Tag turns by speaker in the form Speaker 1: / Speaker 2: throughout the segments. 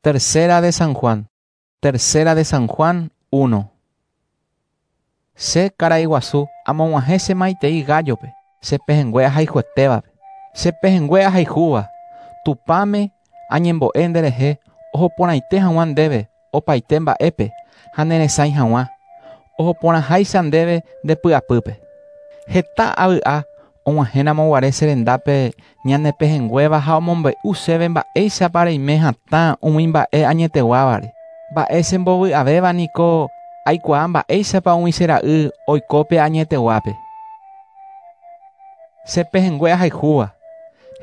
Speaker 1: Tercera de San Juan. Tercera de San Juan 1. Che karai guasu amog̃uahẽ che maitei Gáyope, che pehẽngue ahayhuetévape. Che pehẽngue ahayhúva, Tupãme añembo'e nderehe oho porãite hag̃ua ndéve opaite mba'épe ha neresãi hag̃ua, oho porãháicha ndéve nde py'apýpe. Heta avy'a Og̃uahẽramo guare che rendápe ñane pehẽnguéva ha omombe'u chéve mba'éichapa reime hatã umi mba'e añeteguávare. Mba'e chembovy'avéva niko aikuaa mba'éichapa umi che ra'y oiko pe añeteguápe. Che pehẽngue ahayhúva,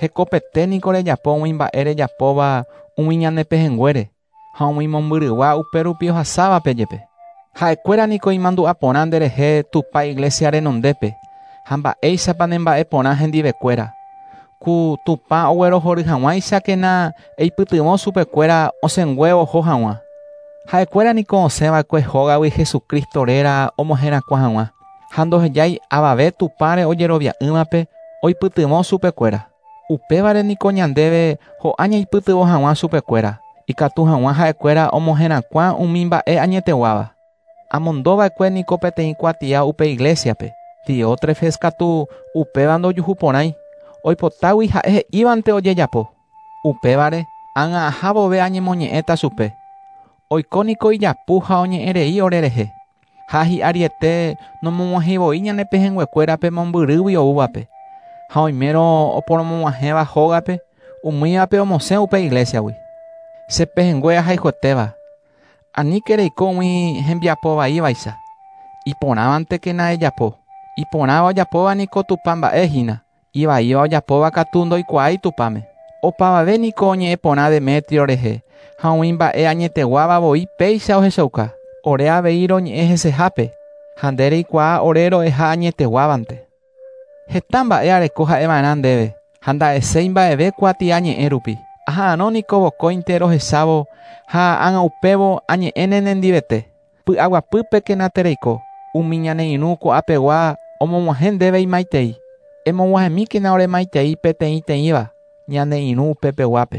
Speaker 1: hekopete niko rejapo umi mba'e rejapóva umi ñane pehẽnguére ha umi mombyrygua upérupi ohasávape jepe. Ha'ekuéra niko imandu'a porã nderehe Tupã iglésia renondépe ha mba'éichapa nemba'e porã hendivekuéra. Ku Tupã oguerohory hag̃uáichakena eipytyvõ chupekuéra osẽngue oho hag̃ua. Ha'ekuéra niko osẽ va'ekue hógagui Jesucristo réra omoherakuã hag̃ua, ha ndohejái avave Tupãre ojerovia'ỹvape oipytyvõ chupekuéra. Upévare niko ñandéve ho'a ñaipytyvõ hag̃ua chupekuéra, ikatu hag̃ua ha'ekuéra omoherakuã umi mba'e añeteguáva. Amondo va'ekue niko peteĩ kuatia upe iglésiape, Diótrefes katu upéva ndojuhu porãi, oipotágui ha'e he'ívante ojejapo. Upévare, ág̃a aha vove añemoñe'ẽta chupe. Oiko niko ijapu ha oñe'ẽ rei ore rehe. Ha hi'ariete nomog̃uahẽi voi ñane pehẽnguekuérape mombyrýgui oúvape. Ha oimérõ oporomog̃uahẽva hógape, umívape omosẽ upe iglésiagui. Che pehẽngue ahayhuetéva, aníke reiko umi hembiapo vaívaicha. Iporãvantekena ejapo. Iporãva ojapóva niko Tupã mba'e hína. Ivaíva ojapóva katu ndoikuaái Tupãme. Opavave niko oñe'ẽ porã Demetrio rehe, ha umi mba'e añeteguáva voi péicha ohechauka. Ore avei roñe'ẽ hesehápe, ha nde reikuaa ore ro'eha añeteguávante. Heta mba'e areko ha'e va'erã ndéve, ha nda'eséi mba'eve kuatia ñe'ẽ rupi. Aha'arõ niko vokóinte rohechávo ha ág̃a upévo añe'ẽne nendivete. Py'aguapýpekena tereiko, umi ñane irũ ko'apegua omog̃uahẽ ndéve imaitei. Emog̃uahẽmíkena ore maitei peteĩteĩva ñane irũ upepeguápe.